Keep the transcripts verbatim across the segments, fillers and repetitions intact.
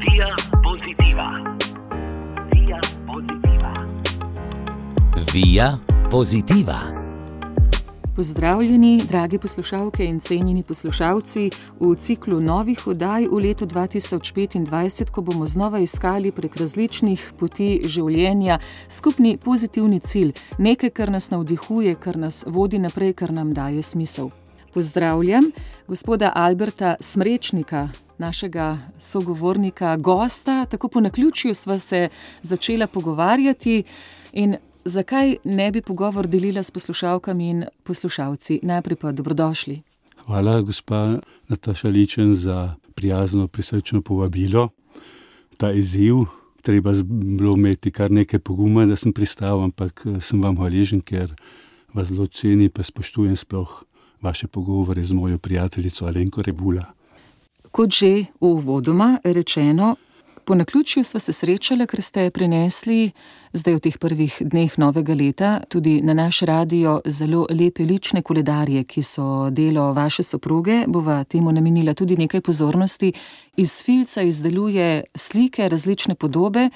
Via Positiva. Via Positiva. Via Positiva. Pozdravljeni, dragi poslušalke in cenjeni poslušalci, v ciklu novih oddaj v letu dva tisoč petindvajset, ko bomo znova iskali prek različnih poti življenja skupni pozitivni cilj, nekaj, kar nas navdihuje, kar nas vodi naprej, kar nam daje smisel. Pozdravljam gospoda Alberta Smrečnika, našega sogovornika, gosta, tako po naključju sva se začela pogovarjati in zakaj ne bi pogovor delila s poslušalkami in poslušalci? Najprej pa dobrodošli. Hvala, gospa Nataša Ličen, za prijazno, prisrčno povabilo. Ta izziv, treba bilo imeti kar nekaj poguma, da sem pristal, ampak sem vam hvaležen, ker vas zelo ceni, pa spoštujem sploh vaše pogovore z mojo prijateljico Alenko Rebula. Kot že uvodoma rečeno, po naključju sva se srečala, ker ste prinesli zdaj v teh prvih dneh novega leta tudi na naš radio zelo lepe lične koledarje, ki so delo vaše soproge. Bova temu namenila tudi nekaj pozornosti. Iz filca izdeluje slike, različne podobe,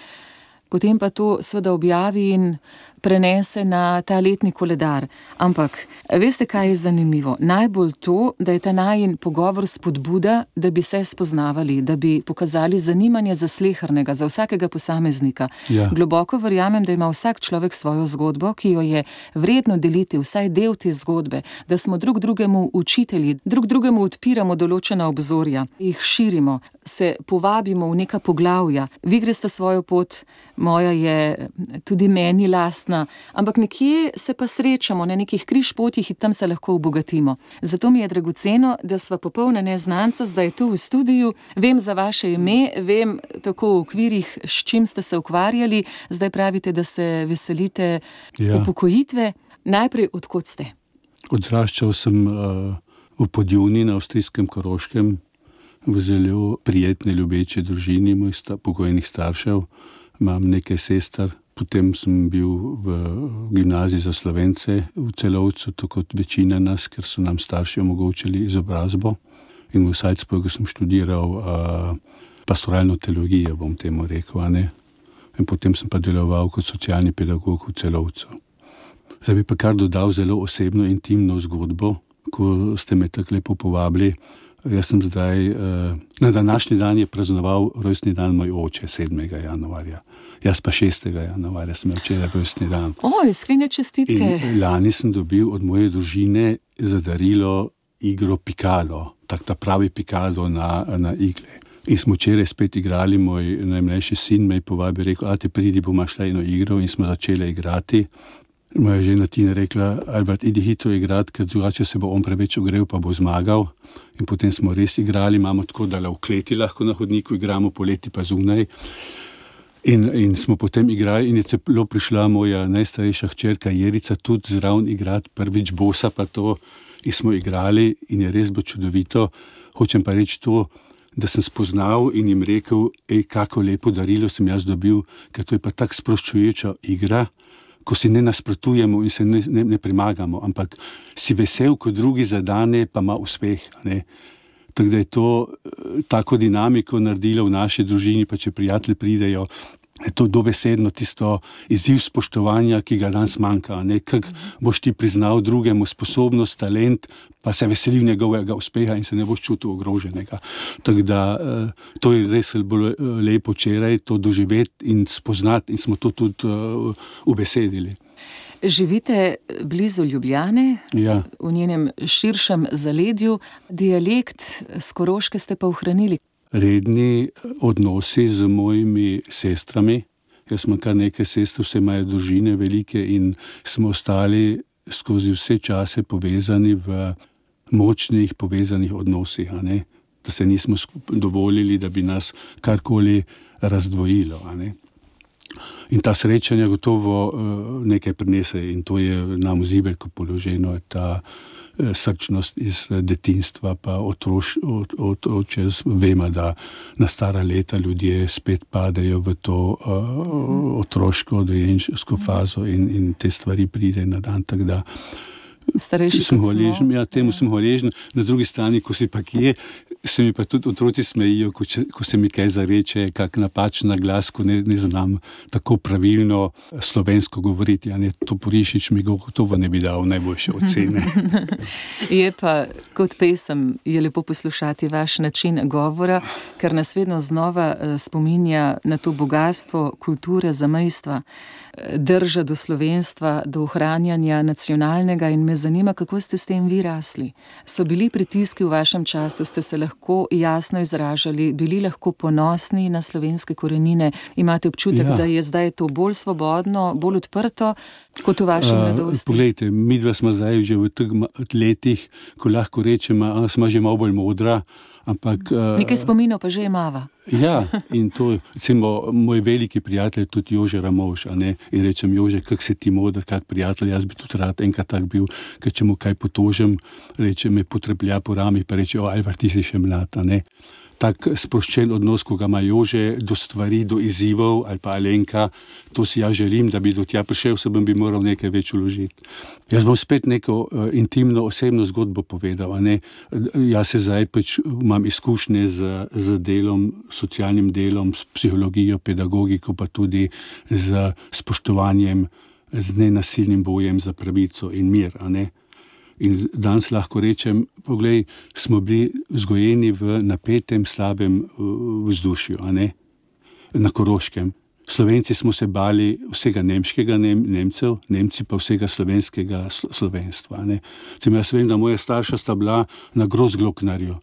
potem pa to seveda objavi in prenese na ta letni koledar. Ampak veste, kaj je zanimivo? Najbolj to, da je ta najin pogovor spodbuda, da bi se spoznavali, da bi pokazali zanimanje za slehernega, za vsakega posameznika. Ja. Globoko verjamem, da ima vsak človek svojo zgodbo, ki jo je vredno deliti, vsaj del te zgodbe, da smo drug drugemu učitelji, drug drugemu odpiramo določena obzorja, jih širimo, se povabimo v neka poglavja. Vi greste svojo pot, moja je tudi meni lastna, ampak nekje se pa srečamo na nekih križpotjih in tam se lahko obogatimo. Zato mi je dragoceno, da sva popolna neznanca zdaj tu v studiu. Vem za vaše ime, vem tako v okvirih, s čim ste se ukvarjali. Zdaj pravite, da se veselite Ja. upokojitve. Najprej, od kod ste? Odraščal sem uh, v Podjuni na avstrijskem Koroškem, v zelo prijetni, ljubeči družini mojih sta, pokojnih staršev. Imam nekaj sester. Potem sem bil v gimnaziji za Slovence v Celovcu, tako kot večina nas, ker so nam starši omogočili izobrazbo. In v Salzburgu sem študiral uh, pastoralno teologijo, bom temu rekel. A ne? In potem sem pa deloval kot socialni pedagog v Celovcu. Zdaj bi pa kar dodal zelo osebno, intimno zgodbo, ko ste me tako lepo povabili. Jaz sem zdaj, uh, na današnji dan je praznoval rojstni dan moj oče, sedmega januarja. Jaz pa šestega januarja sem imel včeraj rojstni dan. O, iskrene čestitke. In lani sem dobil od moje družine za darilo igro Pikalo, tak ta pravi Pikalo na, na igle. In smo včeraj spet igrali, moj najmlajši sin me je povabil, rekel, a te pridi, bomo šla eno igro, in smo začeli igrati. Moja žena Tina rekla, Albert, idi hitro igrati, ker drugače se bo on preveč ogrel, pa bo zmagal. In potem smo res igrali, imamo tako, da le v kleti lahko na hodniku igramo, poleti pa zunaj. In, in smo potem igrali in je celo prišla moja najstarejša hčerka Jerica tudi zraven igrati, prvič bosa pa to, in smo igrali in je res bilo čudovito. Hočem pa reči to, da sem spoznal in jim rekel, ej, kako lepo darilo sem jaz dobil, ker to je pa tak sproščujoča igra, ko si ne nasprotujemo in se ne, ne, ne premagamo, ampak si vesel, ko drugi zadane, pa ima uspeh. Ne? Tako da je to tako dinamiko naredilo v naši družini, pa če prijatelji pridejo, je to dobesedno tisto izziv spoštovanja, ki ga danes manjka. Kako boš ti priznal drugemu sposobnost, talent, pa se veselil njegovega uspeha in se ne boš čutil ogroženega. Tako da to je res bolj lepo včeraj, to doživeti in spoznati, in smo to tudi ubesedili. Živite blizu Ljubljane, Ja. v njenem širšem zaledju. Dialekt s Koroške ste pa ohranili. Redni odnosi z mojimi sestrami. Jaz imam kar nekaj sester, vse imajo družine velike in smo ostali skozi vse čase povezani v močnih povezanih odnosih. A ne? Da se nismo dovolili, da bi nas karkoli razdvojilo. A ne? In ta srečanja gotovo nekaj prinese in to je nam v zibelko položeno, ta srčnost iz detinstva, pa otroš, od, od, od, čez vemo, da na stara leta ljudje spet padejo v to uh, otroško dojenčevsko fazo in, in te stvari pride na dan. Tako da Starejši sem kot smo. hvaležen, ja, temu sem hvaležen. Na drugi strani, ko si pa kje, se mi pa tudi otroci smejijo, ko, če, ko se mi kaj zareče, kak napačen glas, ko ne, ne znam tako pravilno slovensko govoriti. Ja, ne, to Porišič mi gotovo ne bi dal najboljše ocene. Je pa kot pesem je lepo poslušati vaš način govora, ker nas vedno znova spominja na to bogatstvo kulture zamejstva, drža do slovenstva, do ohranjanja nacionalnega, in me zanima, kako ste s tem vi rasli. So bili pritiski v vašem času, ste se lahko jasno izražali, bili lahko ponosni na slovenske korenine, imate občutek, ja. da je zdaj to bolj svobodno, bolj odprto kot v vaši mladosti? Uh, poglejte, midva smo zdaj že v teh letih, ko lahko rečemo, smo že malo bolj modra, ampak... Uh, Nekaj spominov pa že imava. Ja, in to, recimo, moj veliki prijatelj je tudi Jože Ramovš, a ne, in rečem, Jože, kak si ti modr, kak prijatelj, jaz bi tudi rad enkrat tak bil, ker če mu kaj potožem, reče, me potreplja po rami, pa reče, o, Alvar, ti si še mlad, a ne. Tak sproščen odnos, ko ga ima Jože do stvari, do izzivov, ali pa Alenka, to si ja želim, da bi do tja prišel, se bom bi moral nekaj več vložiti. Jaz bom spet neko uh, intimno, osebno zgodbo povedal, a ne. Jaz se zdaj pač imam izkušnje z, z delom, socialnim delom, s psihologijo, pedagogiko, pa tudi z spoštovanjem, z nenasilnim bojem za pravico in mir, a ne. In danes lahko rečem, poglej, smo bili vzgojeni v napetem, slabem vzdušju, a ne, na Koroškem. Slovenci smo se bali vsega nemškega Nem, Nemcev, Nemci pa vsega slovenskega slovenstva, a ne. Cem, jaz vem, da moja starša sta bila na Grozgloknarju,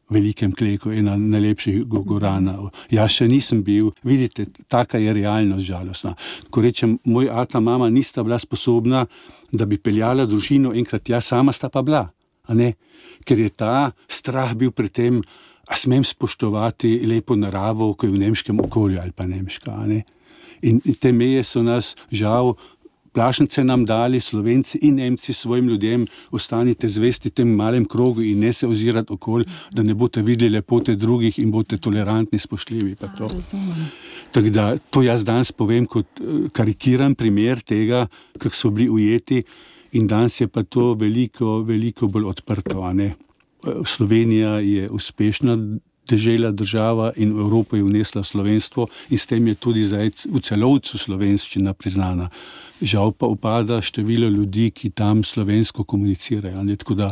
velikem kleku, ena najlepših goranov. Jaz še nisem bil, vidite, taka je realnost žalostna. Ko rečem, moj ata, mama nista bila sposobna, da bi peljala družino enkrat, ja, sama sta pa bila, a ne? Ker je ta strah bil pri tem, a smem spoštovati lepo naravo, ko je v nemškem okolju ali pa nemška, a ne? In te meje so nas žal plašnice nam dali, Slovenci in Nemci svojim ljudem, ostanite zvesti tem malem krogu in ne se ozirati okoli, da ne boste videli lepote drugih in boste tolerantni, spoštljivi. Pa to. Tako da to jaz danes povem kot karikiran primer tega, kako so bili ujeti, in danes je pa to veliko, veliko bolj odprto, a ne. Slovenija je uspešna dežela, država, in v Evropo je vnesla slovenstvo in s tem je tudi zdaj v celovcu slovenščina priznana. Žal pa upada število ljudi, ki tam slovensko komunicirajo. Ne? Tako da,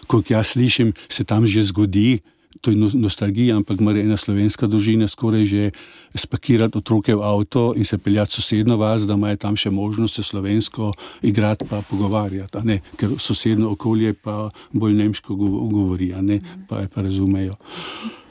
kot jaz slišim, se tam že zgodi, to je nostalgija, ampak mora ena slovenska družina skoraj že spakirati otroke v avto in se peljati sosedno vas, da imajo tam še možnost se slovensko igrati pa pogovarjati, a ne? Ker sosedno okolje pa bolj nemško govori, a ne? Pa, pa razumejo.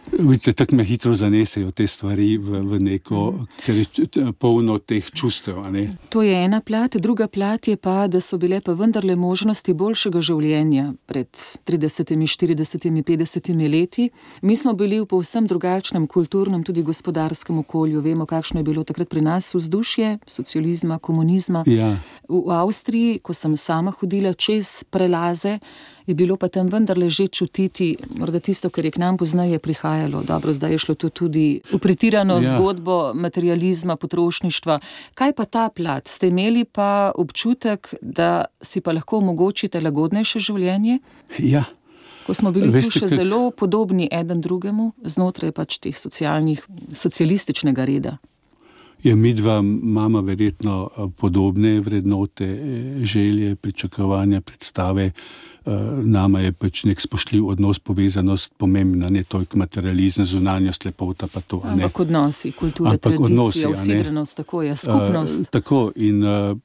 Vidite, tako me hitro zanesejo te stvari v, v neko, ker je polno teh čustev, a ne. To je ena plat, druga plat je pa, da so bile pa vendarle možnosti boljšega življenja pred tridesetimi, štiridesetimi, petdesetimi leti. Mi smo bili v povsem drugačnem kulturnem, tudi gospodarskem okolju. Vemo, kakšno je bilo takrat pri nas vzdušje socializma, komunizma. Ja. V Avstriji, ko sem sama hodila čez prelaze, je bilo pa tam vendarle že čutiti, morda tisto, kar je k nam poznaje prihajalo. Dobro, zdaj je šlo to tudi v pretirano ja. zgodbo materializma, potrošništva. Kaj pa ta plat? Ste imeli pa občutek, da si pa lahko omogočite lagodnejše življenje? Ja. Ko smo bili Veste, tu še kak... zelo podobni eden drugemu, znotraj pač teh socialnih, socialističnega reda. Je midva mama verjetno podobne vrednote, želje, pričakovanja, predstave. Nama je pač nek spoštljiv odnos, povezanost pomembna, ne toliko materializem, zunanjost, lepota pa to. Ampak odnosi, kultura, Ampak tradicija, usidrenost, tako je, skupnost. Uh, tako in uh,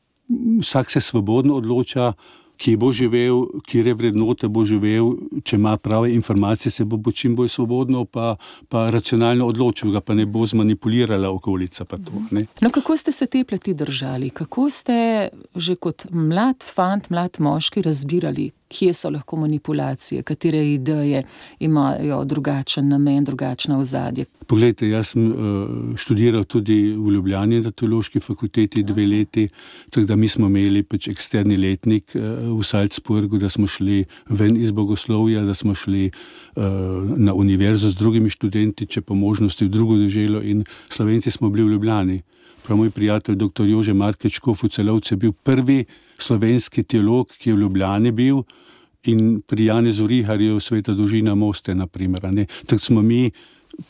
vsak se svobodno odloča, kje bo živel, kje vrednote bo živel, če ima prave informacije, se bo čim bolj svobodno pa, pa racionalno odločil, ga pa ne bo zmanipulirala okolica. Pa to, ne? No, kako ste se te plati držali? Kako ste že kot mlad fant, mlad moški razbirali, kje so lahko manipulacije, katere ideje imajo drugačen namen, drugačna ozadje? Poglejte, jaz sem uh, študiral tudi v Ljubljani na teološki fakulteti dve leti, tako da mi smo imeli pač eksterni letnik uh, v Salzburgu, da smo šli ven iz bogoslovja, da smo šli uh, na univerzo z drugimi študenti, če po možnosti v drugo deželo, in Slovenci smo bili v Ljubljani. prav moj prijatelj doktor Jože Markeč Škof v Celovcu je bil prvi slovenski teolog, ki je v Ljubljani bil, in pri Janezu Riharju Sveta družina Moste, na primer. Tako smo mi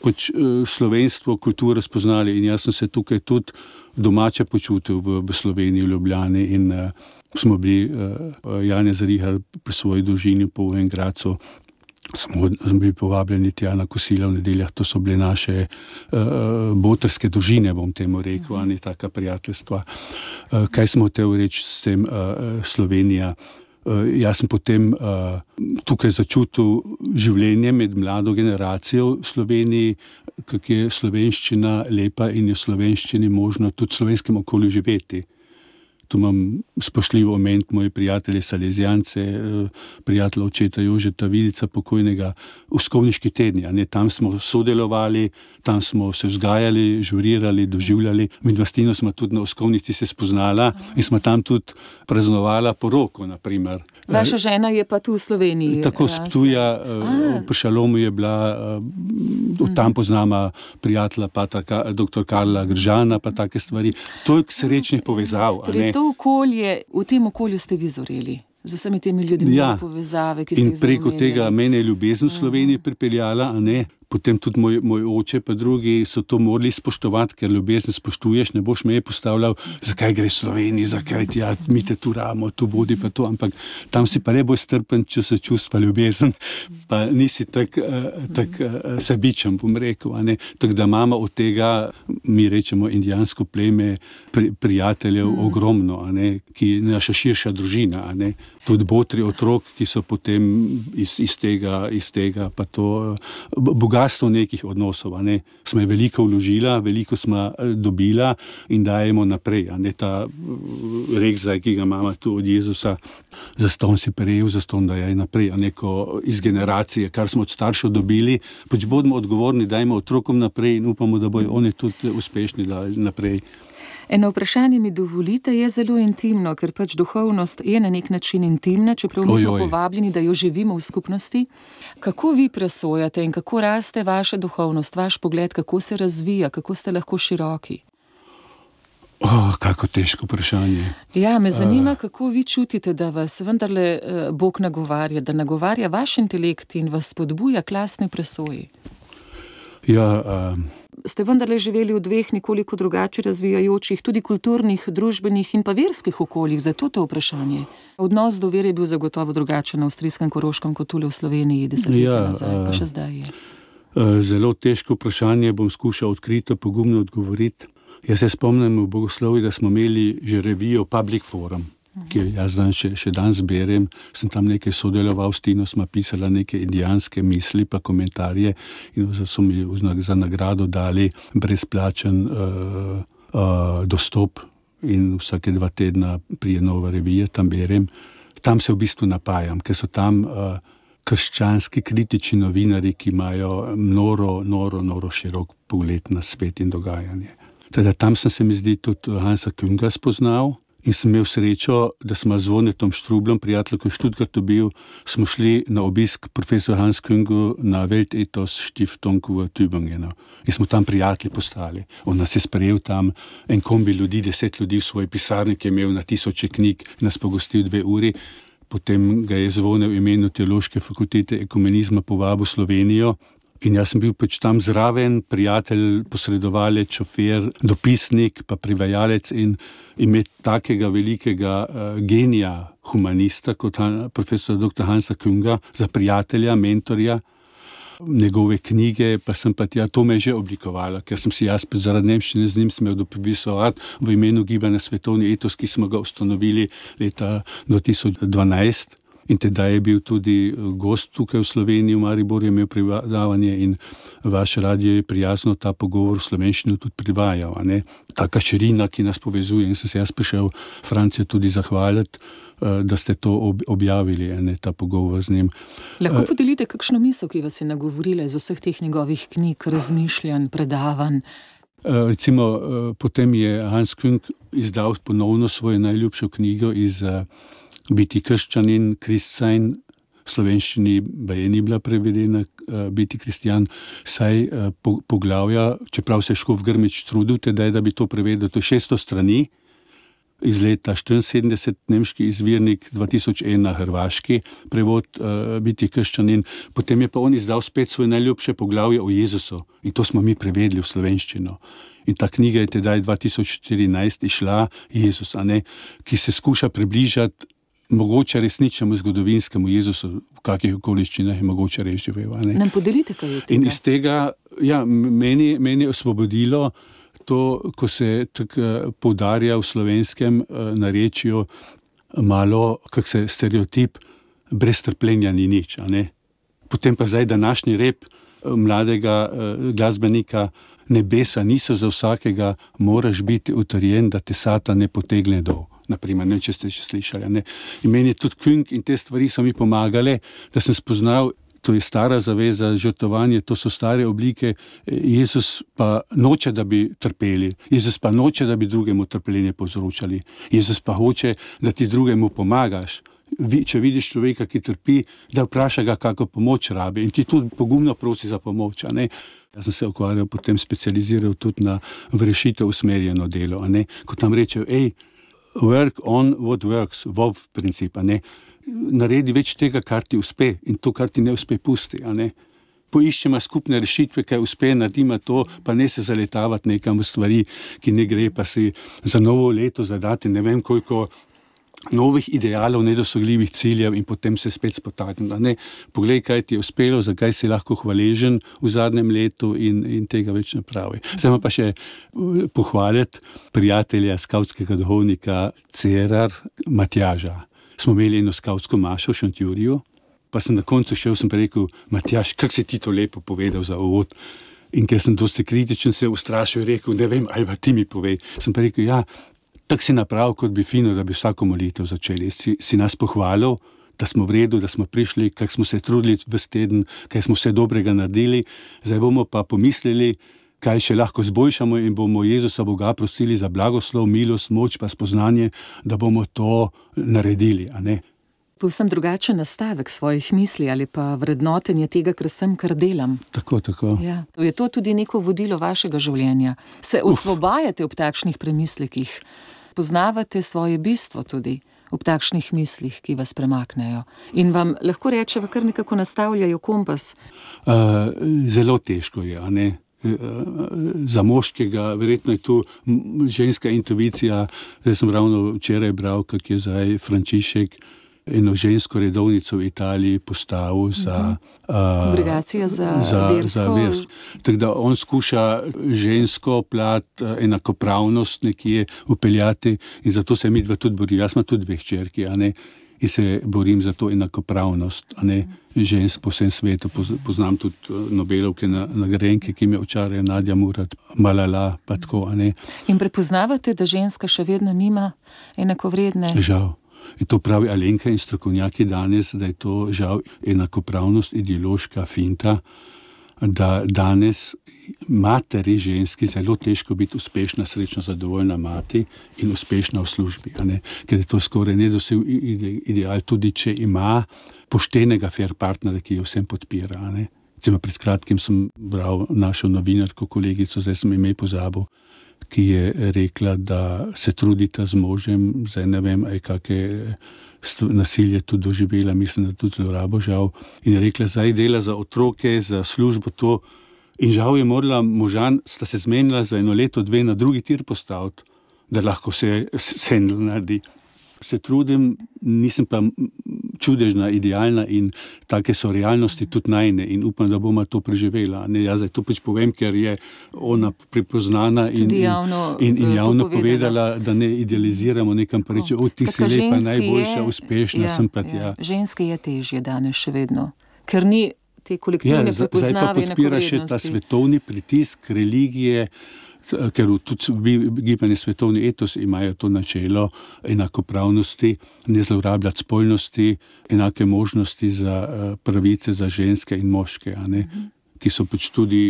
pač slovenstvo, kulturo spoznali in jaz sem se tukaj tudi domače počutil v, v Sloveniji, v Ljubljani in uh, smo bili, uh, Janez Rihar pri svoji družini po Vengradcu, smo, smo bili povabljeni tja na kosila v nedeljah, to so bile naše uh, botrske družine, bom temu rekel, ani taka prijateljstva. Uh, kaj smo hotel reči s tem uh, Slovenija? Uh, jaz sem potem uh, tukaj začutil življenje med mlado generacijo v Sloveniji, kako je slovenščina lepa in je v slovenščini možno tudi v slovenskem okolju živeti. Tu imam spoštljiv oment moje prijatelje Salezijance, prijatelja očeta Jožeta Vidica, pokojnega, v Skovniški tedni. Ne, tam smo sodelovali, tam smo se vzgajali, žurirali, doživljali. Med Vlastino smo tudi na Skovnici se spoznala in smo tam tudi praznovala poroko, na primer. Vaša žena je pa tu v Sloveniji. Tako s Ptuja, pri Šalomu je bila, tam poznama prijatelja patra, doktor Karla Gržana, pa take stvari. Toliko srečnih povezav. Torej, to okolje, v tem okolju ste vi zoreli, z vsemi temi ljudmi, ja, povezave, ki ste jih in preko tega mene je ljubezen v Sloveniji pripeljala, a ne. Potem tudi moj, moj oče pa drugi so to morali spoštovati, ker ljubezen spoštuješ, ne boš me je postavljal, zakaj gre v Sloveniji, zakaj ti, ja, mi te tu ramo, tu bodi pa to, ampak tam si pa ne boj strpen, če se čustva ljubezen, pa nisi tak, tak sebičen, bom rekel, a ne. Tako da imamo od tega, mi rečemo indijansko pleme, pri, prijateljev mm. ogromno, a ne, ki je naša širša družina, a ne. Tudi botri otrok, ki so potem iz, iz tega, iz tega pa to bogatstvo nekih odnosov, a ne. Smo je veliko vložila, veliko smo dobila in dajemo naprej, a ne. Ta rek zdaj, ki ga imamo tu od Jezusa, zaston si prejel, zaston dajaj naprej, a neko iz generacije, kar smo od staršev dobili, pač bodimo odgovorni, dajmo otrokom naprej in upamo, da bojo oni tudi uspešni dali naprej. Eno vprašanje mi dovolite, je zelo intimno, ker pač duhovnost je na nek način intimna, čeprav nismo povabljeni, da jo živimo v skupnosti. Kako vi presojate in kako raste vaša duhovnost, vaš pogled, kako se razvija, kako ste lahko široki? Oh, kako težko vprašanje. Ja, me zanima, kako vi čutite, da vas vendarle Bog nagovarja, da nagovarja vaš intelekt in vas spodbuja k lastni presoji. Ja, um... Ste vendarle živeli v dveh nekoliko drugače razvijajočih, tudi kulturnih, družbenih in pa verskih okoljih, zato to vprašanje. Odnos do vere je bil zagotovo drugačen na avstrijskem Koroškem kot tule v Sloveniji desetletja ja, nazaj, pa še zdaj je. Zelo težko vprašanje, bom skušal odkrito, pogumno odgovoriti. Jaz se spomnim v Bogoslovju, da smo imeli že revijo Public Forum, ki jo jaz dan še, še dan zberem, sem tam nekaj sodeloval, s Tino smo pisala neke indijanske misli pa komentarje in so mi za nagrado dali brezplačen uh, uh, dostop in vsake dva tedna prije nova revija, tam berem. Tam se v bistvu napajam, ker so tam uh, krščanski kritični novinari, ki imajo noro, noro, noro širok pogled na svet in dogajanje. Teda tam sem se mi zdi tudi Hansa Künga spoznal, in sem imel srečo, da smo z Zvonetom Štrublom, prijatelj, ko je Študgartu bil, smo šli na obisk profesor Hans Küngu na Weltethos Stiftung v Tübingenu. In smo tam prijatelji postali. On nas je sprejel tam, en kombi ljudi, deset ljudi v svoji pisarni, ki je imel na tisoče knjig, nas pogostil dve uri. Potem ga je Zvone v imenu Teološke fakultete ekumenizma povabil v Slovenijo. In jaz sem bil pač tam zraven, prijatelj, posredovalec, šofer, dopisnik, pa privajalec in imeti takega velikega uh, genija humanista kot han, profesor doktor Hansa Künga za prijatelja, mentorja, njegove knjige, pa sem pa tja, to me je že oblikovala, ker sem si jaz zaradi nemščine z njim smel dopisovati v imenu gibanja Svetovni etos, ki smo ga ustanovili leta dva tisoč dvanajst. In teda je bil tudi gost tukaj v Sloveniji, v Mariboru je imel predavanje in vaš radio je prijazno ta pogovor v slovenščini tudi privajal. Taka širina, ki nas povezuje in sem se jaz prišel Francijo tudi zahvaliti, da ste to objavili, ne, ta pogovor z njim. Lahko podelite kakšno misel, ki vas je nagovorila iz vseh teh njegovih knjig, razmišljanj, predavanj? Recimo, potem je Hans Küng izdal ponovno svojo najljubšo knjigo iz Biti krščanin, Christsein, slovenščini baje ni bila prevedena uh, biti kristjan, saj uh, po, poglavja, čeprav se je Škof Grmič trudil tedaj, da bi to prevedel, to je šeststo strani, iz leta štiriinsedemdeset, nemški izvirnik, dva tisoč ena hrvaški prevod uh, biti krščanin. Potem je pa on izdal spet svoje najljubše poglavje o Jezusu in to smo mi prevedli v slovenščino. In ta knjiga je tedaj dva tisoč štirinajst išla, Jezus, a ne, ki se skuša približati mogoče resničnemu zgodovinskemu Jezusu, v kakih okoliščinah je mogoče res živel. Nam podelite kaj od tega? In iz tega, ja, meni, meni je osvobodilo to, ko se tako poudarja v slovenskem narečju malo, kak se stereotip, brez trpljenja ni nič, a ne. Potem pa zdaj današnji rep mladega glasbenika, nebesa niso za vsakega, moraš biti utrjen, da te Satan ne potegne dol. Naprimer, ne, če ste še slišali, ne. In meni je tudi Künk in te stvari so mi pomagale, da sem spoznal, to je stara zaveza, žrtvovanje, to so stare oblike. Jezus pa noče, da bi trpeli. Jezus pa noče, da bi drugemu trpljenje povzročali. Jezus pa hoče, da ti drugemu pomagaš. Če vidiš človeka, ki trpi, da vpraša ga, kako pomoč rabi in ti tudi pogumno prosi za pomoč, a ne. Jaz sem se ukvarjal, potem specializiral tudi na v rešitev usmerjeno delo, a ne. Ko tam rečejo, ej, work on what works, vov princip, a ne. Naredi več tega, kar ti uspe in to, kar ti ne uspe, pusti, a ne. Poiščemo skupne rešitve, kaj uspe, naredimo to, pa ne se zaletavati nekam v stvari, ki ne gre, pa si za novo leto zadati ne vem koliko novih idealov, nedosegljivih ciljev in potem se spet spotakniti, a ne. Poglej, kaj ti je uspelo, zakaj si lahko hvaležen v zadnjem letu in, in tega več ne pravi. Zdaj pa še pohvaliti prijatelja, skavtskega duhovnika Cerar Matjaža. Smo imeli eno skavtsko mašo v Šentjuriju, pa sem na koncu šel, sem pa rekel, Matjaž, kako si ti to lepo povedal za uvod? In ker sem dosti kritičen se ustrašil in rekel, ne vem, ali pa ti mi povej. Sem pa rekel, ja, tako si napravil, kot bi fino, da bi vsako molitev začeli. Si, si nas pohvalil, da smo v redu, da smo prišli, kako smo se trudili ves teden, kaj smo vse dobrega naredili. Zdaj bomo pa pomislili, kaj še lahko zboljšamo in bomo Jezusa Boga prosili za blagoslov, milost, moč pa spoznanje, da bomo to naredili, a ne. Povsem drugačen nastavek svojih misli ali pa vrednotenje tega, kar sem, kar delam. Tako, tako. Ja. Je to tudi neko vodilo vašega življenja? Se osvobajate ob takšnih premislekih? Poznavate svoje bistvo tudi ob takšnih mislih, ki vas premaknejo? In vam lahko rečeva, kar nekako nastavljajo kompas? Uh, zelo težko je, a ne. Za moškega, verjetno je tu ženska intuicija. Zdaj sem ravno včeraj bral, kak je zdaj Frančišek eno žensko redovnico v Italiji postavil za kongregacijo za, za versko. Za versko. Tako da on skuša žensko plat, enakopravnost nekje upeljati in zato se mi dva tudi bori. Jaz imam tudi dve hčerki, a ne. In se borim za to enakopravnost, a ne, žensk po vsem svetu. Poznam tudi Nobelovke nagrajenke, ki me očarajo, Nadja Murad, Malala, pa tako, a ne. In prepoznavate, da ženska še vedno nima enakovredne? Žal. In to pravi Alenka in strokovnjaki danes, da je to žal enakopravnost ideološka finta, da danes materi ženski zelo težko biti uspešna, srečna, zadovoljna mati in uspešna v službi, a ne? Ker je to skoraj nedosegljiv ideal, tudi če ima poštenega fair partnera, ki jo vsem podpira, a ne? Recimo pred kratkim sem bral našo novinarko, kolegico, zdaj sem ime pozabil, ki je rekla, da se trudita z možem, zdaj ne vem, aj kakšne nasilje tudi doživela, mislim, da tudi zlorabo žal. In je rekla, zdaj dela za otroke, za službo to. In žal je morala možan, sta se zmenila za eno leto, dve na drugi tir postaviti, da lahko se sendl naredi. Se trudim, nisem pa čudežna, idealna in take so realnosti tudi najne in upam, da bomo to preživela. Ne, jaz zdaj to pač povem, ker je ona prepoznana in, javno, in, in javno povedala, da ne idealiziramo nekam pa reče, o, ti si lepa, najboljša, je, uspešna, ja, sem pa tja. Ja. Ženske je težje danes še vedno, ker ni te kolektivne ja, prepoznave enakovrednosti. Zdaj pa podpira še ta svetovni pritisk, religije, ker tudi gibanje svetovni etos imajo to načelo enakopravnosti, ne zlorabljati spolnosti, enake možnosti za pravice za ženske in moške, a ne, mm-hmm. ki so pač tudi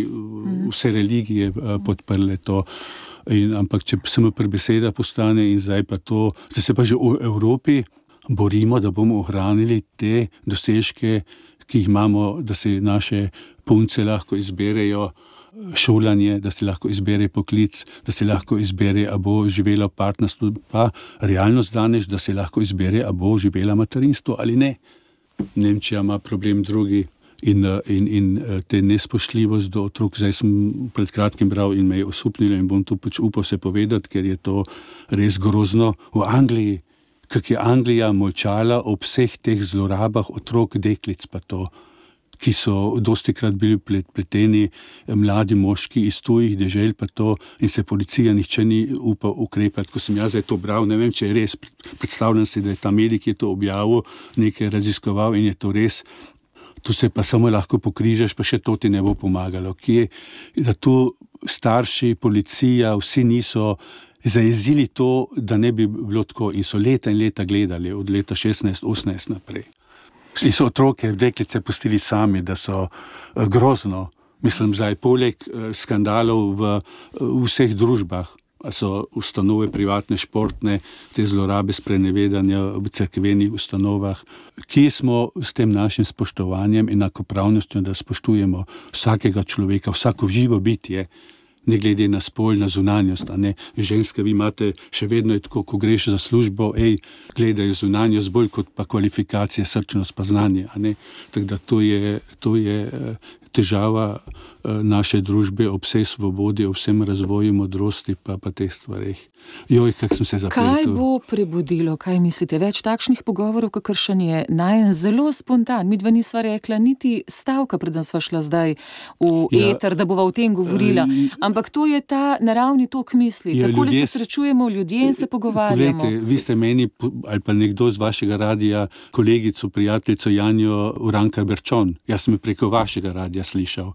vse religije podprle to. In, ampak če samo pri beseda postane in zdaj pa to, zdaj se pa že v Evropi borimo, da bomo ohranili te dosežke, ki jih imamo, da se naše punce lahko izberejo šolanje, da se lahko izbere poklic, da se lahko izbere, a bo živela v partnerstvu, pa realnost danes, da se lahko izbere, a bo živela materinstvo ali ne. Nemčija ima problem drugi in, in, in te nespoštljivost do otrok. Zdaj sem pred kratkim bral in me je osupnilo in bom tu pač upal se povedati, ker je to res grozno. V Angliji, kak je Anglija molčala o vseh teh zlorabah otrok, deklic pa to, ki so dostikrat bili pleteni mladi moški iz tujih dežel pa to in se policija nihče ni upal ukrepati. Ko sem jaz to bral, ne vem, če je res, predstavljam si, da je ta medij, ki je to objavil, nekaj raziskoval in je to res. Tu se pa samo lahko pokrižaš, pa še to ti ne bo pomagalo. Kje, da tu starši, policija, vsi niso zajezili to, da ne bi bilo tako in so leta in leta gledali, od leta šestnajst osemnajst naprej. In so otroke, deklice pustili sami, da so grozno, mislim, zdaj poleg skandalov v, v vseh družbah, so ustanove privatne, športne, te zlorabe sprenevedanja v cerkvenih ustanovah. Kje smo s tem našim spoštovanjem in enakopravnostjo, da spoštujemo vsakega človeka, vsako živo bitje, ne glede na spol, na zunanjost, a ne. Ženske, vi imate še vedno je tako, ko greš za službo, ej, gledajo zunanjost bolj kot pa kvalifikacije, srčnost pa znanje, a ne. Tako da to je, to je težava naše družbe ob vsej svobodi, ob vsem razvoju, modrosti pa, pa teh stvareh. Joj, kak sem se zapletel. Kaj bo prebudilo, kaj mislite? Več takšnih pogovorov, kakršen je najen zelo spontan. Midva nisva rekla niti stavka, preden sva šla zdaj v ja, eter, da bova o tem govorila. Ampak to je ta naravni tok misli. Ja, takole ljudje, se srečujemo ljudje in se pogovarjamo. Poglejte, vi ste meni, ali pa nekdo z vašega radija, kolegico, prijateljico Janjo Urankar Berčon. Jaz sem jo preko vašega radija slišal.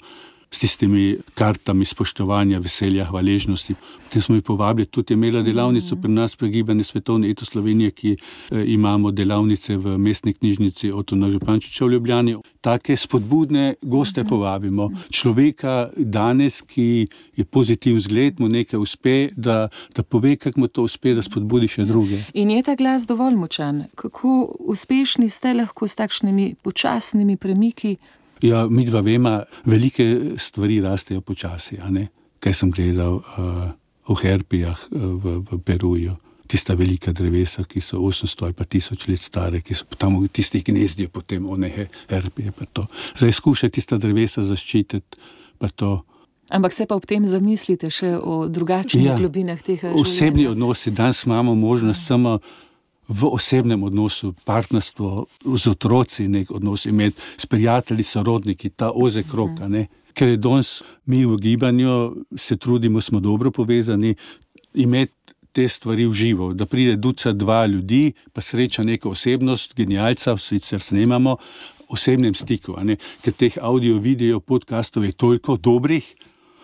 S tistimi kartami spoštovanja, veselja, hvaležnosti. Potem smo jih povabili, tudi je imela delavnico pri nas pri Gibanju Svetovne Eto Slovenije, ki eh, imamo delavnice v mestni knjižnici Otona Župančiča v Ljubljani. Take spodbudne goste povabimo. Človeka danes, ki je pozitiv vzgled, mu nekaj uspe, da, da pove, kako mu to uspe, da spodbudi še druge. In je ta glas dovolj močan? Kako uspešni ste lahko s takšnimi počasnimi premiki? Ja, mi dva vema, velike stvari rastejo počasi, a ne? Kaj sem gledal uh, v herpijah uh, v, v Peruju. Tista velika drevesa, ki so osemsto ali pa tisoč let stare, ki so tam v tistih gnezdijo potem one herpije pa to. Zdaj skušaj tista drevesa zaščititi pa to. Ampak se pa ob tem zamislite še o drugačnih ja, globinah tega življenja. Osebni odnosi, danes imamo možnost samo v osebnem odnosu, partnerstvo z otroci, nek odnos imeti s prijatelji, sorodniki, ta ozek krog, a ne. Ker je danes mi v gibanju, se trudimo, smo dobro povezani, imeti te stvari v živo, da pride ducat dva ljudi, pa sreča neka osebnost, genialca, sicer snemamo, osebnem stiku, a ne. Ker teh audio, video, podcastov je toliko dobrih,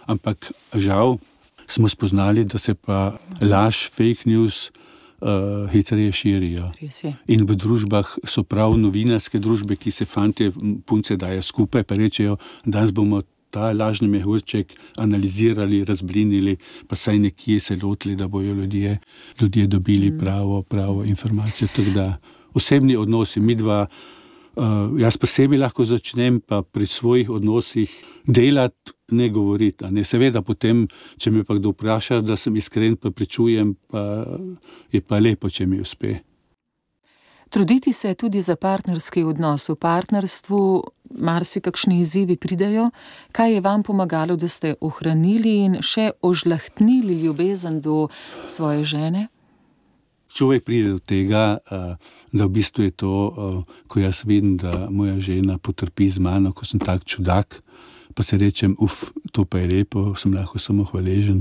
ampak žal smo spoznali, da se pa laž, fake news, Uh, hitreje širijo. In v družbah so prav novinarske družbe, ki se fantje, punce dajo skupaj, pa rečejo, danes bomo ta lažni mehurček analizirali, razblinili, pa saj nekje se lotili, da bojo ljudje, ljudje dobili mm. pravo, pravo informacijo. Tako da osebni odnosi, mi dva, uh, jaz posebej lahko začnem pa pri svojih odnosih delati, ne govoriti. Ne? Seveda potem, če me pa kdo vpraša, da sem iskren, pa pričujem, pa je pa lepo, če mi uspe. Truditi se tudi za partnerski odnos. V partnerstvu marsikakšni izzivi pridejo. Kaj je vam pomagalo, da ste ohranili in še ožlahtnili ljubezen do svoje žene? Človek pride do tega, da v bistvu je to, ko jaz vidim, da moja žena potrpi z mano, ko sem tak čudak, pa se rečem, uf, to pa je lepo, sem lahko samo hvaležen,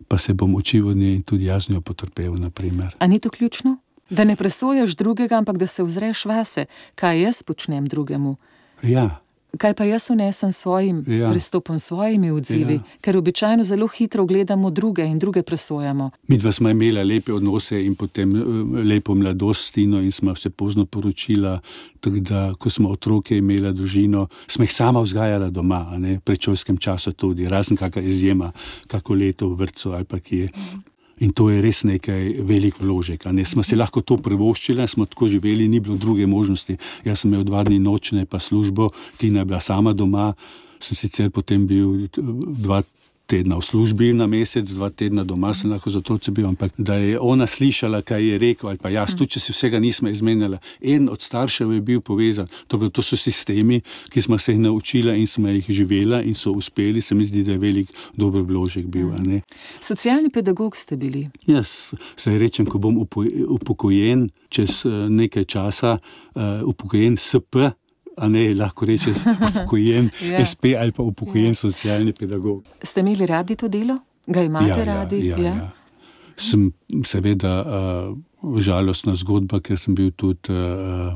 pa se bom učil od nje in tudi jaz njo potrpel, naprimer. A ni to ključno? Da ne presojaš drugega, ampak da se ozreš vase, kaj jaz počnem drugemu? Ja. Kaj pa jaz vnesem svojim ja. pristopom, svojimi odzivi, ja. ker običajno zelo hitro gledamo druge in druge presojamo. Midva smo imela lepe odnose in potem lepo mladost s Tino in smo se pozno poročila, tako da, ko smo otroke imela družino, smo jih sama vzgajala doma, a ne, pred šolskem času tudi, razen kakšna izjema, kako leto v vrtcu ali pa kje. In to je res nekaj velik vložek. Ne? Smo si lahko to privoščili, smo tako živeli, ni bilo druge možnosti. Jaz sem imel dva dni nočne pa službo, Tina je bila sama doma, sem sicer potem bil dva tedna v službi na mesec, dva tedna doma sem lahko za otroci bil, ampak da je ona slišala, kaj je rekel, ali pa jaz, tudi če si vsega nismo izmenjali. En od staršev je bil povezan. To, to so sistemi, ki smo se jih naučili in smo jih živela in so uspeli, se mi zdi, da je velik dober vložek bil. Ne? Socialni pedagog ste bili. Jaz se rečem, ko bom upokojen čez nekaj časa, upokojen S P, a ne, lahko reče upokojen ja. S P ali pa upokojen ja. Socialni pedagog. Ste imeli radi to delo? Ga imate ja, radi? Ja, ja, ja. Sem seveda uh, žalostna zgodba, ker sem bil tudi, uh,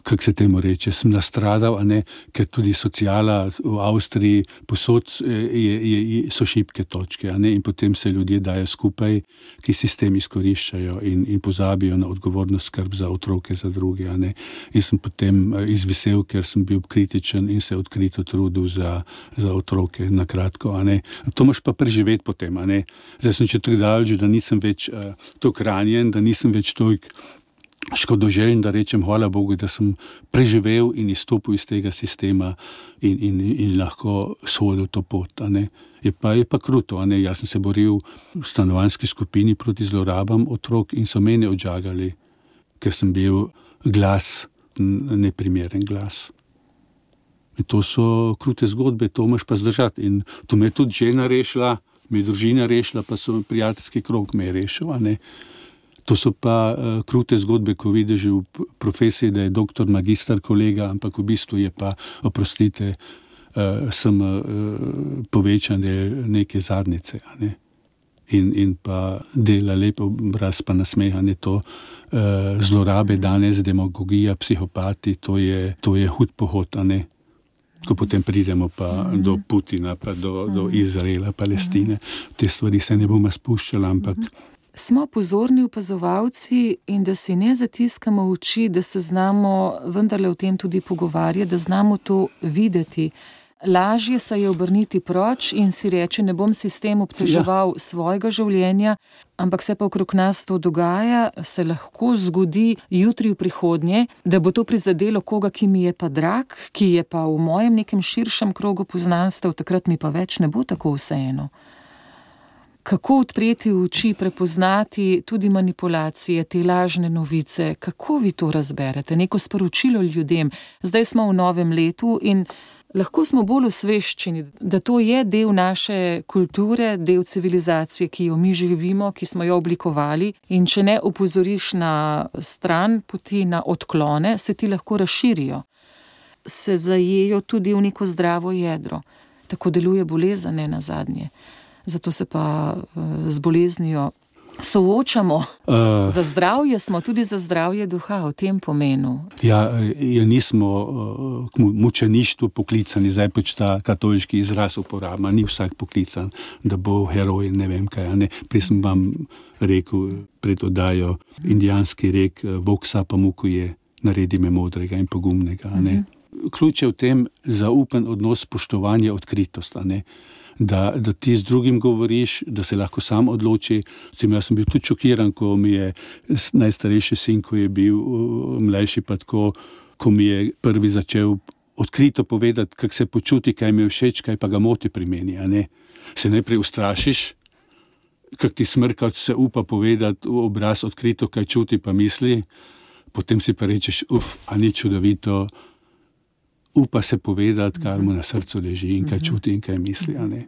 kako se temu reče, sem nastradal, a ne, ker tudi sociala v Avstriji posod je, je, so šibke točke, a ne, in potem se ljudje dajo skupaj, ki sistem izkoriščajo in, in pozabijo na odgovornost skrb za otroke, za druge, a ne. In sem potem izvisel, ker sem bil kritičen in se odkrito trudil za, za otroke, na kratko, a ne. To moš pa preživeti potem, a ne. Zdaj sem če tako daleč, da nisem več uh, toliko ranjen, da nisem več toliko škodoželjen, da rečem hvala Bogu, da sem preživel in izstopil iz tega sistema in, in, in lahko shodil to pot. A ne. Je pa, je pa kruto, a ne. Jaz sem se boril v stanovanjski skupini proti zlorabam otrok in so mene odžagali, ker sem bil glas, neprimeren glas. In to so krute zgodbe, to moš pa zdržati. In to me je tudi žena rešila, me je družina rešila, pa so prijateljski krog me je rešil, a ne. To so pa uh, krute zgodbe, ko vidiš v profesiji, da je doktor, magister, kolega, ampak v bistvu je pa, oprostite, uh, sem uh, povečan del neke zadnice. A ne? In, in pa dela lep obraz, pa nasmehanje to. Uh, zlorabe danes, demagogija, psihopati, to je, to je hud pohod, a ne? Ko potem pridemo pa mm-hmm. do Putina, pa do, mm-hmm. do Izraela, Palestine. Te stvari se ne bomo spuščali, ampak mm-hmm. Smo pozorni opazovalci in da si ne zatiskamo oči, da se znamo vendarle o tem tudi pogovarjati, da znamo to videti. Lažje se je obrniti proč in si reči, ne bom sistem obteževal ja. Svojega življenja, ampak se pa okrog nas to dogaja, se lahko zgodi jutri v prihodnje, da bo to prizadelo koga, ki mi je pa drag, ki je pa v mojem nekem širšem krogu poznanstev, takrat mi pa več ne bo tako vseeno. Kako odpreti oči, prepoznati tudi manipulacije, te lažne novice, kako vi to razberete, neko sporočilo ljudem. Zdaj smo v novem letu in lahko smo bolj osveščeni, da to je del naše kulture, del civilizacije, ki jo mi živimo, ki smo jo oblikovali in če ne opozoriš na stran poti, na odklone, se ti lahko razširijo. Se zajejo tudi v neko zdravo jedro. Tako deluje bolezen, ne nazadnje. Zato se pa uh, z boleznijo soočamo. Uh, za zdravje smo, tudi za zdravje duha, v tem pomenu. Ja, ja nismo uh, k mučeništvu poklicani, zdaj pač ta katoliški izraz uporabima, ni vsak poklican, da bo heroj, ne vem kaj. Ne? Prej sem vam rekel, pred oddajo, indijanski rek, voksa pa muku je, naredi me modrega in pogumnega. Ne? Uh-huh. Ključ je v tem zaupen odnos, spoštovanje, odkritost, a ne? Da, da ti z drugim govoriš, da se lahko sam odloči. Vcem, jaz sem bil tudi šokiran, ko mi je najstarejši sin, ko je bil mlajši, pa tako, ko mi je prvi začel odkrito povedati, kako se počuti, kaj mi je všeč, kaj pa ga moti pri meni. A ne? Se najprej ustrašiš, kako ti smrka se upa povedati v obraz odkrito, kaj čuti pa misli, potem si pa rečeš, uf, a ni čudovito, upa se povedati, kar mu na srcu leži in kaj čuti in kaj misli. A ne?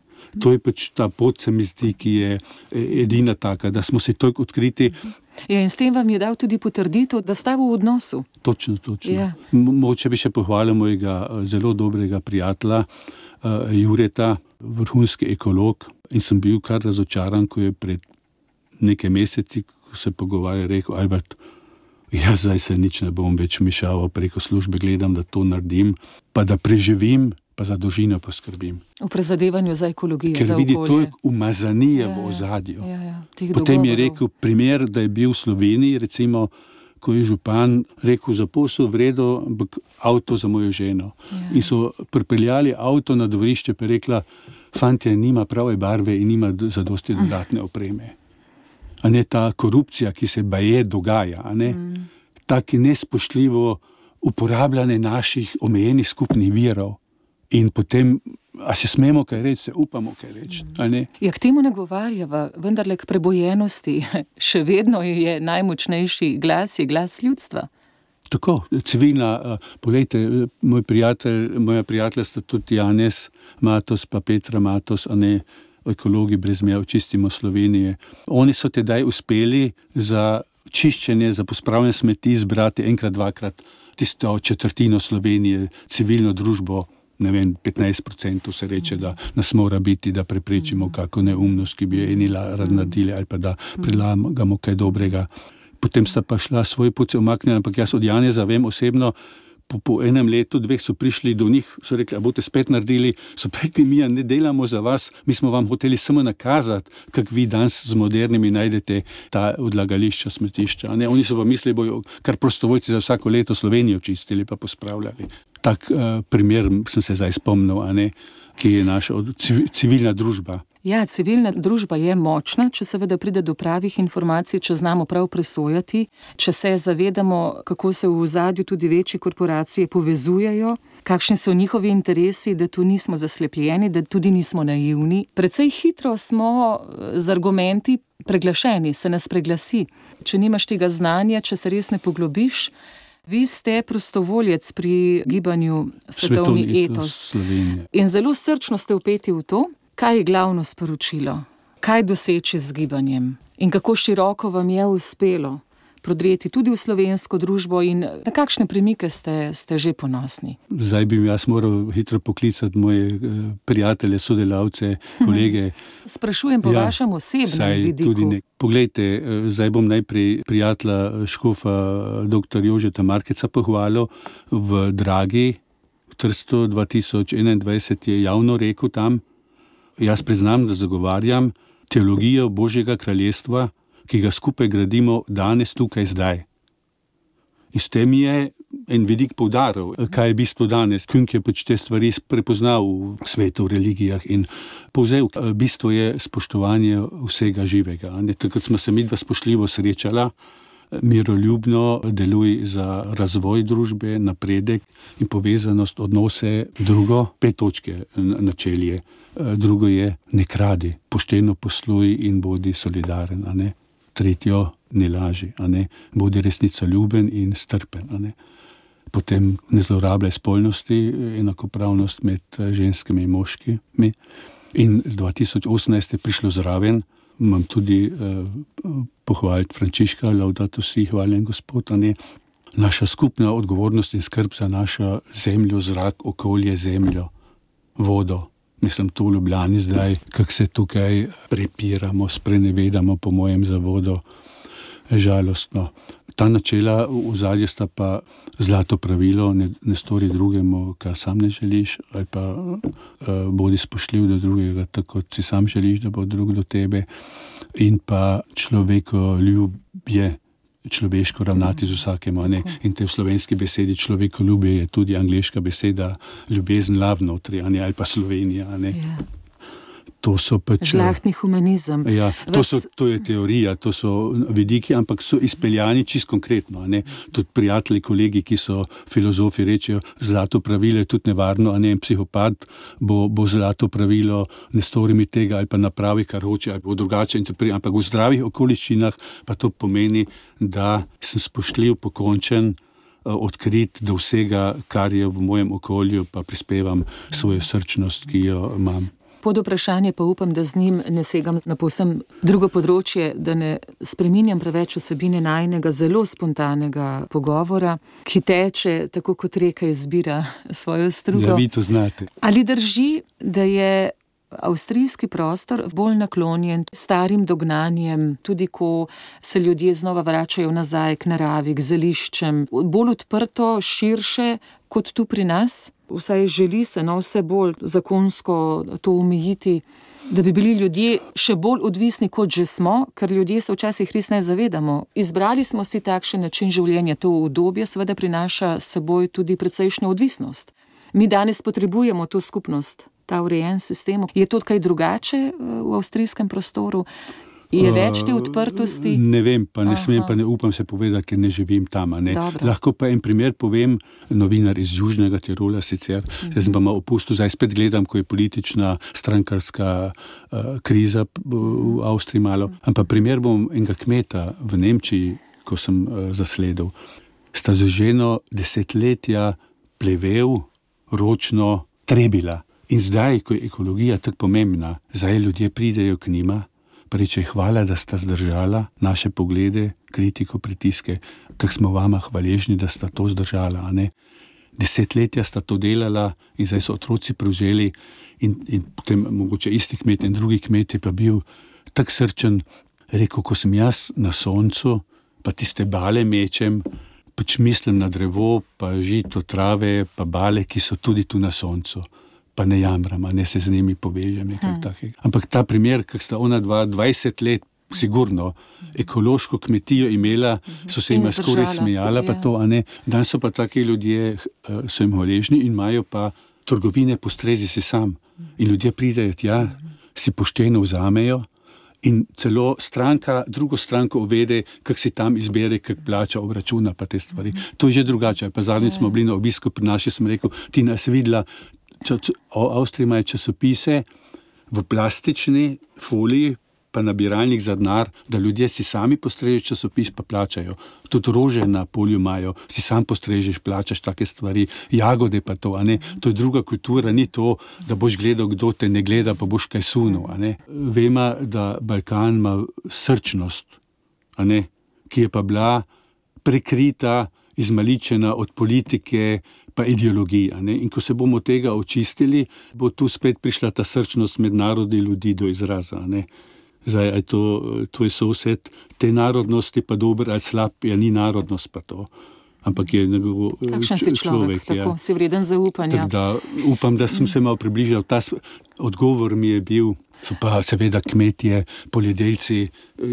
To je pač ta pot, se mi zdi, ki je edina taka, da smo si toliko odkriti. Ja, in s tem vam je dal tudi potrditev, da sta v odnosu. Točno, točno. Ja. Moče bi še pohvalil mojega zelo dobrega prijatelja, uh, Jureta, vrhunski ekolog, in sem bil kar razočaran, ko je pred nekaj meseci, ko se pogovarja, rekel, Albert, jaz zdaj se nič ne bom več mišaval, preko službe gledam, da to naredim, pa da preživim, pa za družino poskrbim. V prezadevanju za ekologijo, ker za okolje. Ker vidi toliko umazanije ja, v ozadju. Ja, ja, Potem dogovorov. Je rekel primer, da je bil v Sloveniji, recimo, ko je župan rekel, za posel vredo avto za mojo ženo. Ja. In so pripeljali avto na dvorišče, pa je rekla, fantje, nima prave barve in nima zadosti dodatne opreme. a ne ta korupcija, ki se baje dogaja, a ne mm. tako nespoštljivo uporabljanje naših omejenih skupnih virov in potem, a se smemo kaj reči, se upamo kaj reči, a ne? Ja, k temu nagovarjava, vendarle k prebojenosti, še vedno je najmočnejši glas, je glas ljudstva. Tako, civilna, poglejte, moj prijatelj, moja prijatelja sta tudi Janez Matos pa Petra Matos, a ne ekologi brez meja, Očistimo Slovenije. Oni so tedaj uspeli za čiščenje, za pospravljanje smeti zbrati enkrat, dvakrat tisto četrtino Slovenije, civilno družbo, ne vem, petnajst procentov se reče, da nas mora biti, da preprečimo kako neumnost, ki bi je eni rad naredili, ali pa da predlagamo kaj dobrega. Potem sta pa šla svoj pot se omaknila, ampak jaz od Janeza vem osebno, po, po enem letu, dveh so prišli do njih, so rekli, a boste spet naredili, so rekli, mi ne delamo za vas, mi smo vam hoteli samo nakazati, kak vi danes z modernimi najdete ta odlagališča, smetišča. Ne? Oni so pa mislili, bojo kar prostovoljci za vsako leto Slovenijo čistili pa pospravljali. Tak uh, primer sem se zdaj spomnil, a ne, ki je naša civilna družba. Ja, civilna družba je močna, če seveda pride do pravih informacij, če znamo prav presojati, če se zavedamo, kako se v ozadju tudi večje korporacije povezujejo, kakšni so njihovi interesi, da tu nismo zaslepljeni, da tudi nismo naivni. Precej hitro smo z argumenti preglašeni, se nas preglasi. Če nimaš tega znanja, če se res ne poglobiš. Vi ste prostovoljec pri gibanju Svetovni etos Slovenije. In zelo srčno ste vpeti v to. Kaj je glavno sporočilo? Kaj doseči z gibanjem? In kako široko vam je uspelo prodreti tudi v slovensko družbo in na kakšne premike ste, ste že ponosni? Zdaj bi jaz moral hitro poklicati moje prijatelje, sodelavce, kolege. Sprašujem po ja, vašem osebnem vidiku. Poglejte, zdaj bom najprej prijatelja škofa doktor Jožeta Markeca pohvalil v Dragi, v Trstu dva tisoč enaindvajset je javno rekel tam, jaz priznam, da zagovarjam teologijo Božjega kraljestva, ki ga skupaj gradimo danes, tukaj, zdaj. In s tem je en vidik poudaril, kaj je bistvo danes. Künk je pač te stvari prepoznal v svetu, v religijah in povzel. Bistvo je spoštovanje vsega živega. Takrat smo se midva spoštljivo srečala, miroljubno deluj za razvoj družbe, napredek in povezanost, odnose. Drugo, pet točke načelje. Drugo je, ne kradi, pošteno posluj in bodi solidaren, a ne. Tretjo, ne laži, a ne. Bodi resnicoljuben in strpen, a ne. Potem ne zlorabljaj spolnosti, enakopravnost med ženskimi in moškimi. In dva tisoč osemnajst je prišlo zraven, imam tudi eh, pohvaliti Frančiška, Laudato si, hvaljen Gospod, a ne. Naša skupna odgovornost in skrb za našo zemljo, zrak, okolje, zemljo, vodo. Mislim, to v Ljubljani zdaj, kako se tukaj prepiramo, sprenevedamo po mojem za vodo, žalostno. Ta načela v ozadju sta pa zlato pravilo, ne, ne stori drugemu, kar sam ne želiš, ali pa uh, bodi spoštljiv do drugega, tako kot si sam želiš, da bo drug do tebe. In pa človekoljubje, človeško ravnati z vsakem, ne? In te v slovenski besedi človekoljubje je tudi angleška beseda ljubezen, love notri, ali pa Slovenija, ne? Yeah. To so pač... Žlahtni humanizem. Ja, to, so, to je teorija, to so vidiki, ampak so izpeljani čisto konkretno, ne? Tudi prijatelji, kolegi, ki so filozofi, rečejo, zlato pravilo je tudi nevarno, a ne, en psihopat bo, bo zlato pravilo, ne stori mi tega, ali pa napravi, kar hoče, ali bo drugače interpretiral, ampak v zdravih okoliščinah pa to pomeni, da sem spoštljiv, pokončen, odkrit do vsega, kar je v mojem okolju, pa prispevam svojo srčnost, ki jo imam. Pod vprašanje pa upam, da z njim ne segam na povsem drugo področje, da ne spreminjam preveč vsebine najinega zelo spontanega pogovora, ki teče, tako kot reka izbira svojo strugo. Ja, vi to znate. Ali drži, da je avstrijski prostor bolj naklonjen starim dognanjem, tudi ko se ljudje znova vračajo nazaj k naravi, k zeliščem, bolj odprto, širše kot tu pri nas? Vsaj želi se no, vse bolj zakonsko to omejiti, da bi bili ljudje še bolj odvisni, kot že smo, ker ljudje se včasih res ne zavedamo. Izbrali smo si takšen način življenja, to udobje seveda prinaša s seboj tudi precejšnjo odvisnost. Mi danes potrebujemo to skupnost, ta urejen sistem. Je to kaj drugače v avstrijskem prostoru? Je več te odprtosti? Uh, ne vem, pa ne Aha. smem, pa ne upam se povedati, ker ne živim tam. Ne. Lahko pa en primer povem, novinar iz Južnega Tirola sicer, uh-huh. jaz sem pa malo opustil, zdaj spet gledam, ko je politična strankarska uh, kriza v Avstriji malo. Ampak primer bom enega kmeta v Nemčiji, ko sem uh, zasledil. Sta z ženo desetletja plevel, ročno trebila. In zdaj, ko je ekologija tako pomembna, zdaj ljudje pridejo k njima, pa reče, hvala, da sta zdržala naše poglede, kritiko, pritiske, kak smo vama hvaležni, da sta to zdržala. A ne? Desetletja sta to delala in zdaj so otroci prevzeli in, in potem mogoče isti kmet in drugi kmet je pa bil tak srčen, rekel, ko sem jaz na soncu, pa tiste bale mečem, pač mislim na drevo, pa žito, trave, pa bale, ki so tudi tu na soncu. Pa ne jamram, a ne se z njimi povežem. Hmm. Ampak ta primer, kak sta ona dva, dvajset let sigurno ekološko kmetijo imela, so se jima skoraj smejala, pa to, a ne. Danes so pa taki ljudje, so jim hvaležni in imajo pa trgovine postrezi si sam. In ljudje pridejo tja, si pošteno vzamejo in celo stranka, drugo stranko uvede, kak si tam izbere, kak plača, obračuna pa te stvari. To je že drugače. Pa zadnjič smo bili na obisku pri naši, sem rekel, ti nas videla, Avstrija ima časopise v plastični foliji, pa nabiralnik za denar, da ljudje si sami postrežejo časopis, pa plačajo. Tudi rože na polju imajo, si sam postrežeš, plačaš take stvari, jagode pa to, a ne. To je druga kultura, ni to, da boš gledal, kdo te ne gleda, pa boš kaj sunil, a ne. Vemo, da Balkan ima srčnost, a ne, ki je pa bila prekrita, izmaličena od politike, pa ideologija. Ne? In ko se bomo tega očistili, bo tu spet prišla ta srčnost med narodi ljudi do izraza. Ne? Zdaj, je to, to je sosed te narodnosti, pa dober ali slab, ja ni narodnost pa to. Ampak je nekako kakšen si človek, človek tako, ja. Si vreden zaupanja. Tak, da, upam, da sem se malo približal. Ta odgovor mi je bil, so pa seveda kmetje, poljedelci,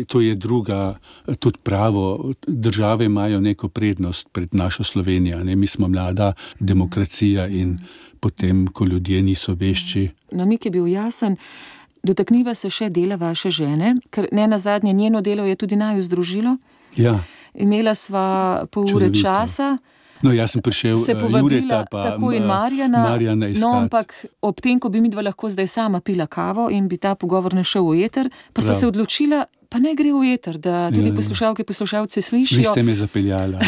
to je druga, tudi pravo. Države imajo neko prednost pred našo Slovenijo. Ne? Mi smo mlada demokracija in potem, ko ljudje niso vešči. Namik je bil jasen. Dotakniva se še dela vaše žene, ker ne nazadnje njeno delo je tudi naju združilo. Ja. Imela sva pol ure časa. No, jaz sem prišel Jureta pa tako in Marjana, Marjana iskat. No, ampak ob tem, ko bi midva lahko zdaj sama pila kavo in bi ta pogovor ne šel v eter, pa so se odločila, pa ne gre v eter, da tudi ja, poslušalke, poslušalci slišijo. Vi ste me zapeljala.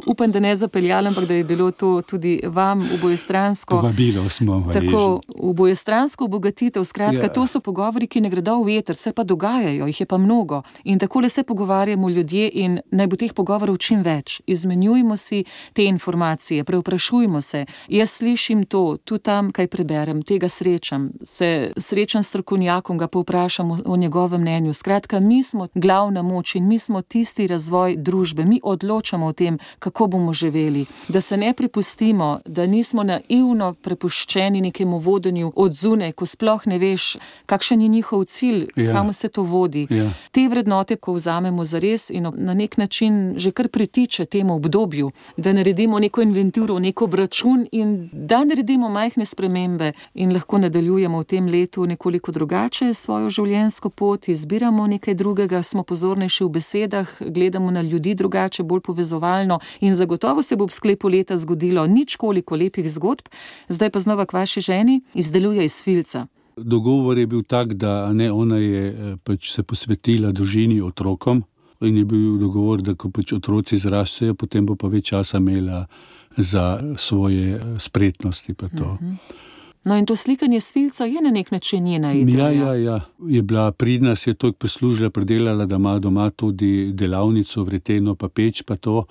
Upam, da ne zapeljala, ampak da je bilo to tudi vam obojestransko. Povabilo smo hvaležni. Tako, obojestransko obogatitev, skratka, ja. To so pogovori, ki ne gredo v eter, se pa dogajajo, jih je pa mnogo. In takole se pogovarjamo ljudje in naj bo teh pogovorov čim več. Izmenjujmo si te informacije, preoprašujmo se. Jaz slišim to, tu tam, kaj preberem, tega srečam, se srečam s strokovnjakom, ga povprašam o, o njegovem mnenju. Skratka, mi smo glavna moč in mi smo tisti razvoj družbe. Mi odločamo o tem, kako bomo živeli. Da se ne prepustimo, da nismo naivno prepuščeni nekemu vodenju od zunaj, ko sploh ne veš, kakšen je njihov cilj, ja. Kam se to vodi. Ja. Te vrednote, ko vzamemo zares in na nek način že kar pritiče temu obdobju, da naredimo neko inventuro, neko obračun in da naredimo majhne spremembe in lahko nadaljujemo v tem letu nekoliko drugače svojo življenjsko pot, izbiramo nekaj drugega, smo pozornejši v besedah, gledamo na ljudi drugače, bolj povezovalno in zagotovo se bo v sklepu leta zgodilo nič koliko lepih zgodb. Zdaj pa znova k vaši ženi, izdeluje iz filca. Dogovor je bil tak, da ne, ona je pač se posvetila družini, otrokom in je bil dogovor, da ko pač otroci zrastejo, potem bo pa več časa imela za svoje spretnosti pa to. Mm-hmm. No in to slikanje s filca je na nek način njena ideja. Ja, ja, ja. Je bila pridna, se je toliko prislužila, predelala, da ima doma tudi delavnico, vreteno pa peč pa to.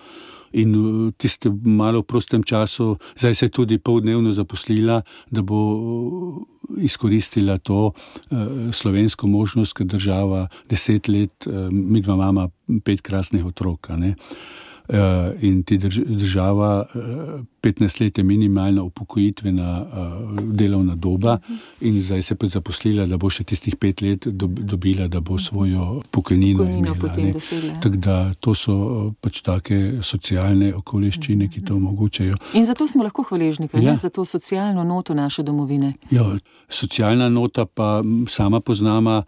In tiste malo v prostem času, zdaj se je tudi poldnevno zaposlila, da bo izkoristila to uh, slovensko možnost, ker država deset let, uh, midva mama pet krasnih otrok, ne. in ti drž, država petnajst let je minimalna upokojitvena delovna doba in zdaj se pa zaposlila, da bo še tistih pet let dobila, da bo svojo pokojnino imela. Tako da to so pač take socialne okoliščine, ki to omogočajo. In zato smo lahko hvaležni, ja. Ne? Za to socialno noto naše domovine. Ja, socialna nota pa sama poznama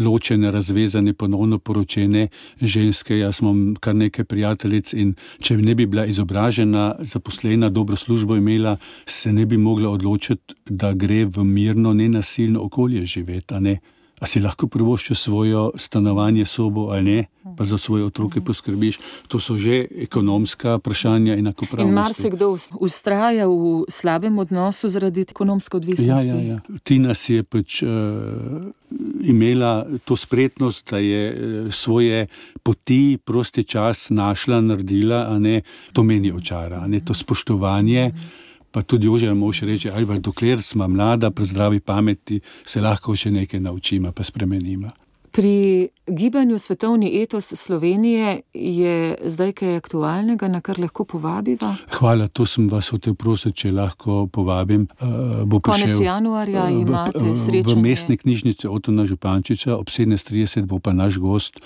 ločene, razvezane, ponovno poročene ženske. Jaz imam kar nekaj prijateljic in če ne bi bila izobražena, zaposlena, dobro službo imela, se ne bi mogla odločiti, da gre v mirno, nenasilno okolje živeti, a ne? A si lahko privoščiš svojo stanovanje, sobo ali ne, pa za svoje otroke poskrbiš. To so že ekonomska vprašanja in enakopravnosti. In marsikdo vztraja v slabem odnosu zaradi ekonomske odvisnosti. Ja, ja, ja. Tina si je pač uh, imela to spretnost, da je uh, svoje poti, prosti čas našla, naredila, a ne, to meni očara, a ne, to spoštovanje. Pa tudi Jože mož reče, ali dokler smo mlada, pri zdravi pameti, se lahko še nekaj naučimo, pa spremenimo. Pri gibanju Svetovni etos Slovenije je zdaj kaj aktualnega, na kar lahko povabiva? Hvala, to sem vas hotel prositi, če lahko povabim. Uh, bo Konec prišel, januarja imate uh, srečanje. V mestni knjižnici Otona Župančiča ob sedemnajst trideset bo pa naš gost,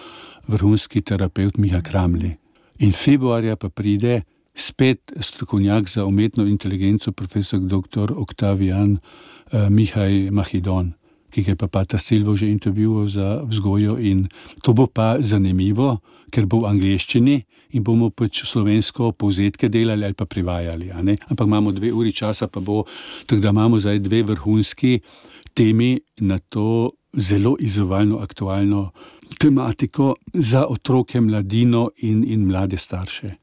vrhunski terapeut Miha Kramli. In februarja pa pride spet strokovnjak za umetno inteligenco, profesor doktor Oktavijan uh, Mihaj Mahidon, ki je pa Pata Silvo že intervjuval za vzgojo in to bo pa zanimivo, ker bo v angleščini in bomo pač slovensko povzetke delali ali pa privajali, a ne? Ampak imamo dve uri časa, pa bo, tako da imamo zdaj dve vrhunski temi na to zelo izzivalno aktualno tematiko za otroke, mladino in, in mlade starše.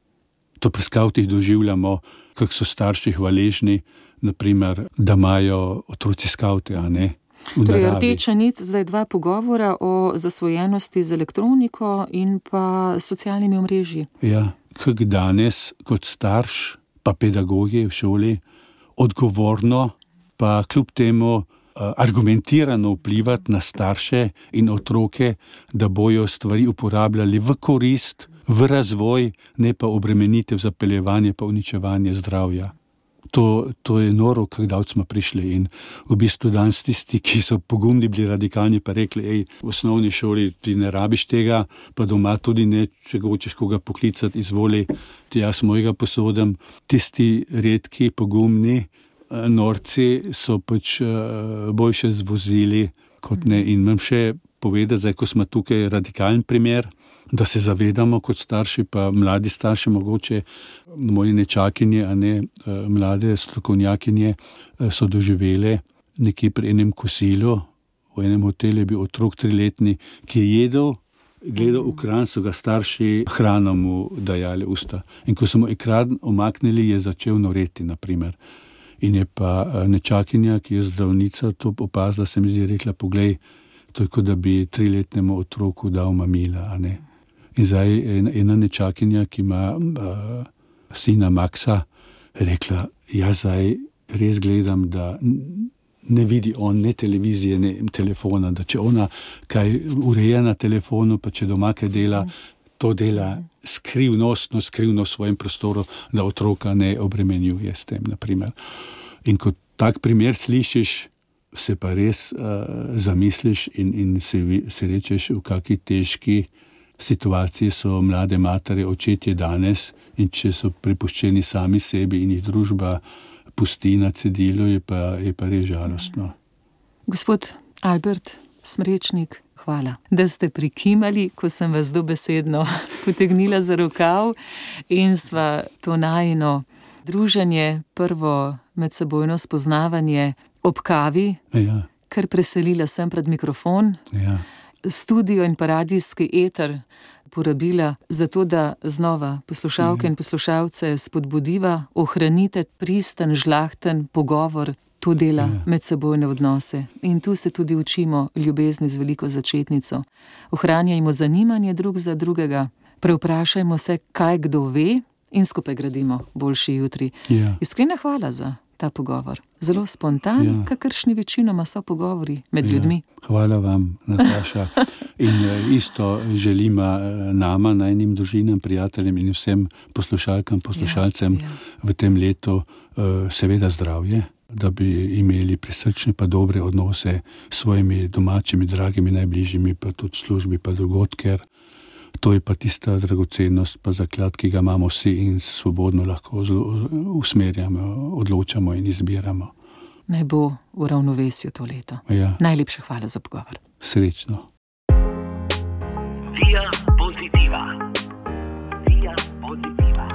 To pri skavtih doživljamo, kako so starši hvaležni, naprimer, da imajo otroci skavte, a ne? Torej, rdeča nit, zdaj dva pogovora o zasvojenosti z elektroniko in pa socialnimi omrežji. Ja, kako danes kot starš, pa pedagogi v šoli, odgovorno, pa kljub temu argumentirano vplivati na starše in otroke, da bojo stvari uporabljali v korist, v razvoj, ne pa obremenitev, zapeljevanje pa uničevanje zdravja. To, to je noro, kako davc smo prišli in v bistvu danes tisti, ki so pogumni bili radikalni, pa rekli, ej, v osnovni šoli ti ne rabiš tega, pa doma tudi ne, če hočeš koga poklicati, izvoli, ti jaz mojega posodem. Tisti redki, pogumni norci so pač boljše zvozili kot ne. In imam še povedati, zdaj, ko smo tukaj radikalen primer, da se zavedamo kot starši, pa mladi starši, mogoče moje nečakinje, a ne mlade strokovnjakinje, so doživele nekje pri enem kosilu, v enem hotelu je bil otrok triletni, ki je jedel, gledal v kran, so ga starši hrano mu dajali usta. In ko so mu ekran omaknili, je začel noreti, naprimer. In je pa nečakinja, ki je zdravnica, to opazila, se mi zdi, rekla, poglej, to je kot da bi triletnemu otroku dal mamila, a ne. In zdaj ena nečakinja, ki ima uh, sina Maxa, rekla, jaz zdaj res gledam, da ne vidi on ne televizije, ne telefona, da če ona kaj ureja na telefonu, pa če doma kaj dela, to dela skrivnostno, skrivno v svojem prostoru, da otroka ne obremenjuje s tem, naprimer. In ko tak primer slišiš, se pa res uh, zamisliš in, in se, se rečeš, v kakšni težki situaciji so mlade matere, očetje danes, in če so prepuščeni sami sebi in jih družba pusti na cedilu, je pa, je pa res žalostno. Gospod Albert Smrečnik, hvala, da ste prikimali, ko sem vas dobesedno potegnila za rokav in sva to najino druženje, prvo medsebojno spoznavanje ob kavi, ja. Kar preselila sem pred mikrofon, ja. Studio in paradijski eter porabila za to, da znova poslušalke in poslušalce spodbudiva, ohranite pristen, žlahten pogovor, to dela ja. Medsebojne odnose. In tu se tudi učimo ljubezni z veliko začetnico. Ohranjajmo zanimanje drug za drugega, prevprašajmo se, kaj kdo ve in skupaj gradimo boljši jutri. Ja. Iskrena hvala za ta pogovor. Zelo spontan, ja. Kakršni večinoma so pogovori med ja. ljudmi. Hvala vam, Nataša. In isto želimo nama, najnim družinam, prijateljem in vsem poslušalkam, poslušalcem ja, ja. v tem letu seveda zdravje, da bi imeli prisrčne pa dobre odnose s svojimi domačimi, dragimi, najbližjimi, pa tudi službi, pa drugod, ker to je pa tista dragocenost, pa zaklad, ki ga imamo vsi in se svobodno lahko usmerjamo, odločamo in izbiramo. Naj bo v ravnovesju to leto. Ja. Najlepša hvala za pogovor. Srečno. Via Positiva. Via Positiva.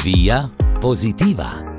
Via Positiva.